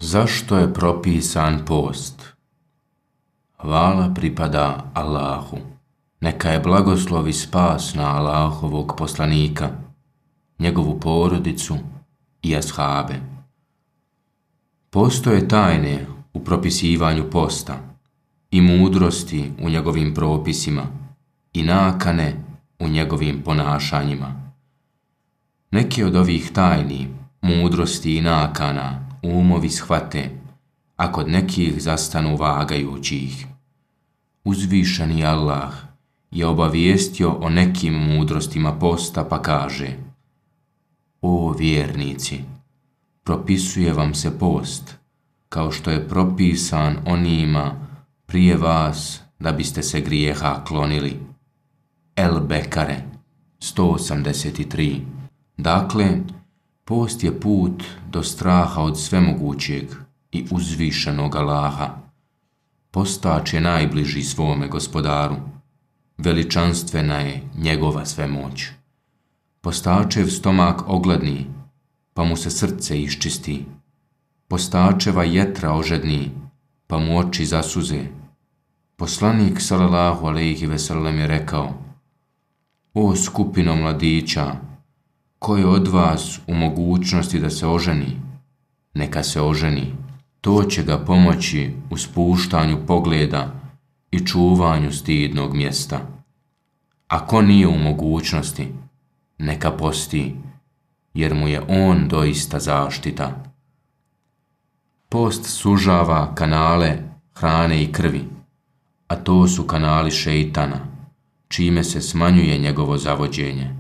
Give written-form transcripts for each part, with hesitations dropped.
Zašto je propisan post? Hvala pripada Allahu. Neka je blagoslov i spas na Allahovog poslanika, njegovu porodicu i ashabe. Postoje tajne u propisivanju posta i mudrosti u njegovim propisima i nakane u njegovim ponašanjima. Neki od ovih tajni, mudrosti i nakana umovi shvate, a kod nekih zastanu vagajući ih. Uzvišeni Allah je obavijestio o nekim mudrostima posta pa kaže: O vjernici, propisuje vam se post, kao što je propisan onima prije vas da biste se grijeha klonili. El Bekare 183. Dakle, post je put do straha od svemogućeg i uzvišenog Allaha. Postač je najbliži svome gospodaru. Veličanstvena je njegova svemoć. Postačev stomak ogladni, pa mu se srce iščisti. Postačeva jetra ožedni, pa mu oči zasuze. Poslanik sallallahu alejhi ve sellem je rekao: O skupino mladića, ko je od vas u mogućnosti da se oženi, neka se oženi. To će ga pomoći u spuštanju pogleda i čuvanju stidnog mjesta. A ko nije u mogućnosti, neka posti, jer mu je on doista zaštita. Post sužava kanale hrane i krvi, a to su kanali šeitana, čime se smanjuje njegovo zavođenje.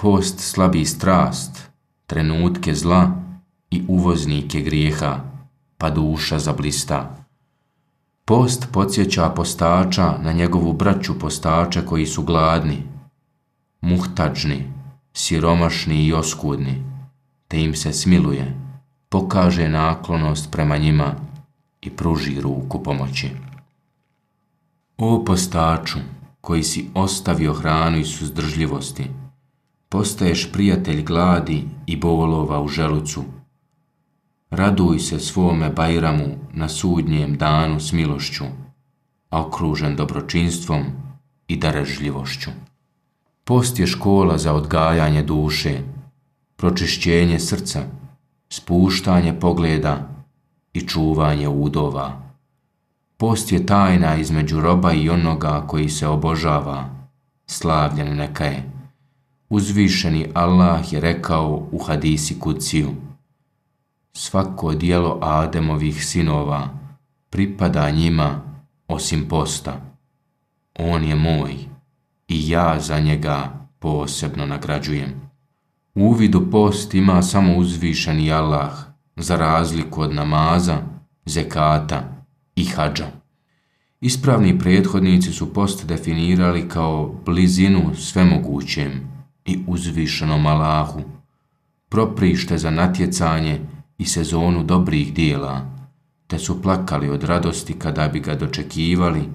Post slabi strast, trenutke zla i uvoznike grijeha, pa duša zablista. Post podsjeća postača na njegovu braću postače koji su gladni, muhtadžni, siromašni i oskudni, te im se smiluje, pokaže naklonost prema njima i pruži ruku pomoći. O postaču, koji si ostavio hranu i suzdržljivosti, postaješ prijatelj gladi i bolova u želucu. Raduj se svome Bajramu na sudnjem danu s milošću, a okružen dobročinstvom i darežljivošću. Post je škola za odgajanje duše, pročišćenje srca, spuštanje pogleda i čuvanje udova. Post je tajna između roba i onoga koji se obožava, slavljen neka je. Uzvišeni Allah je rekao u hadisi kudsiju: Svako djelo Ademovih sinova pripada njima osim posta. On je moj i ja za njega posebno nagrađujem. Uvid u post ima samo uzvišeni Allah, za razliku od namaza, zekata i hadža. Ispravni prethodnici su post definirali kao blizinu svemogućem i uzvišenom Allahu, proprište za natjecanje i sezonu dobrih dijela, te su plakali od radosti kada bi ga dočekivali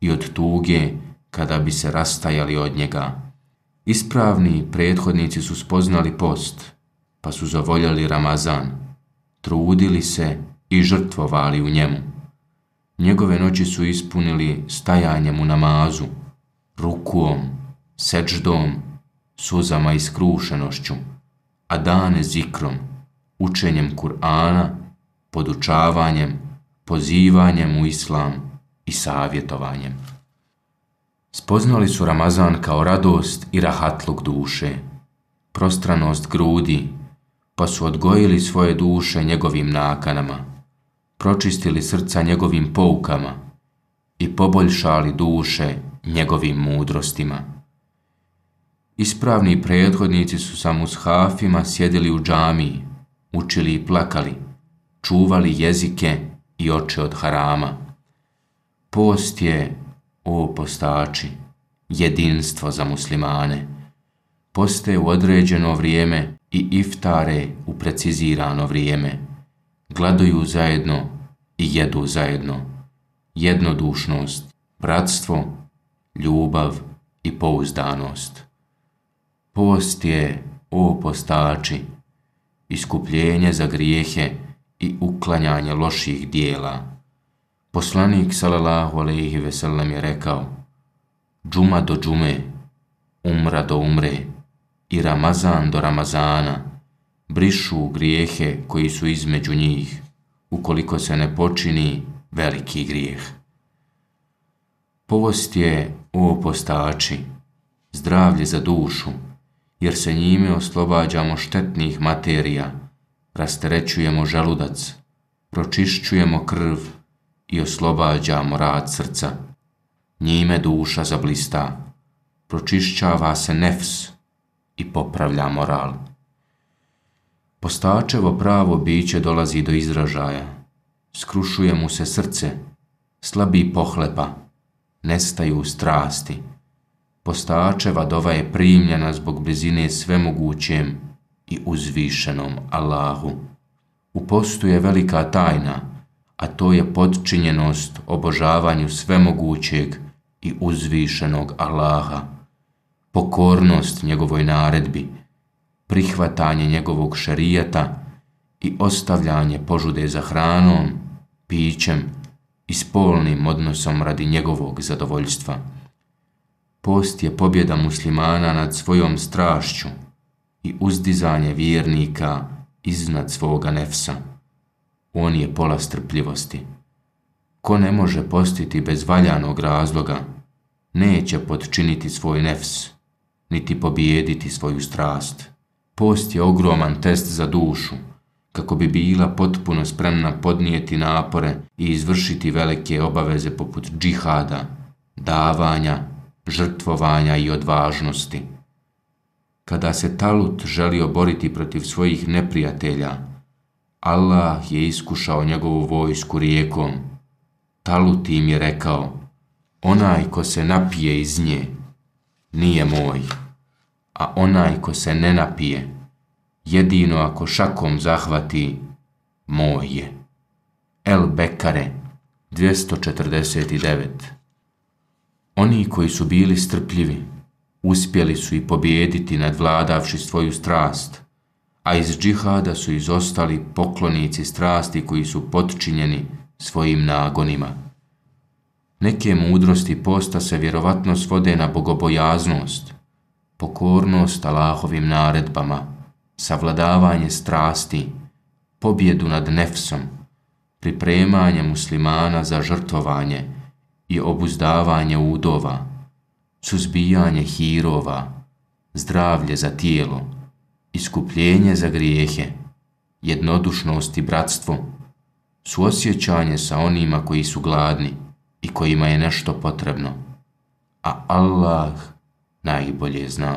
i od tuge kada bi se rastajali od njega. Ispravni prethodnici su spoznali post, pa su zavoljali Ramazan, trudili se i žrtvovali u njemu. Njegove noći su ispunili stajanjem u namazu, rukuom, seđdom, suzama i skrušenošću, a dane zikrom, učenjem Kur'ana, podučavanjem, pozivanjem u islam i savjetovanjem. Spoznali su Ramazan kao radost i rahatluk duše, prostranost grudi, pa su odgojili svoje duše njegovim nakanama, pročistili srca njegovim poukama i poboljšali duše njegovim mudrostima. Ispravni prethodnici su sa mushafima sjedili u džamiji, učili i plakali, čuvali jezike i oči od harama. Post je, o postači, jedinstvo za muslimane. Poste u određeno vrijeme i iftare u precizirano vrijeme. Gladuju zajedno i jedu zajedno. Jednodušnost, bratstvo, ljubav i pouzdanost. Post je, o postači, iskupljenje za grijehe i uklanjanje loših dijela. Poslanik sallallahu alejhi ve sellem je rekao: džuma do džume, umra do umre i Ramazan do Ramazana brišu grijehe koji su između njih, ukoliko se ne počini veliki grijeh. Post je, o postači, zdravlje za dušu, jer se njime oslobađamo štetnih materija, rasterećujemo želudac, pročišćujemo krv i oslobađamo rad srca. Njime duša zablista, pročišćava se nefs i popravlja moral. Postačevo pravo biće dolazi do izražaja, skrušuje mu se srce, slabi pohlepa, nestaju strasti. Postačeva dova je primljena zbog blizine svemogućem i uzvišenom Allahu. U postu je velika tajna, a to je podčinjenost obožavanju svemogućeg i uzvišenog Allaha, pokornost njegovoj naredbi, prihvatanje njegovog šerijata i ostavljanje požude za hranom, pićem i spolnim odnosom radi njegovog zadovoljstva. Post je pobjeda muslimana nad svojom strašću i uzdizanje vjernika iznad svoga nefsa. On je pola strpljivosti. Ko ne može postiti bez valjanog razloga, neće potčiniti svoj nefs, niti pobijediti svoju strast. Post je ogroman test za dušu, kako bi bila potpuno spremna podnijeti napore i izvršiti velike obaveze poput džihada, davanja, žrtvovanja i odvažnosti. Kada se Talut želio boriti protiv svojih neprijatelja, Allah je iskušao njegovu vojsku rijekom. Talut im je rekao: onaj ko se napije iz nje, nije moj, a onaj ko se ne napije, jedino ako šakom zahvati, moj je. El Bekare 249. Oni koji su bili strpljivi, uspjeli su i pobijediti nadvladavši svoju strast, a iz džihada su izostali poklonici strasti koji su potčinjeni svojim nagonima. Neke mudrosti posta se vjerovatno svode na bogobojaznost, pokornost Allahovim naredbama, savladavanje strasti, pobjedu nad nefsom, pripremanje muslimana za žrtvovanje i obuzdavanje udova, suzbijanje hirova, zdravlje za tijelo, iskupljenje za grijehe, jednodušnost i bratstvo, suosjećanje sa onima koji su gladni i kojima je nešto potrebno, a Allah najbolje zna.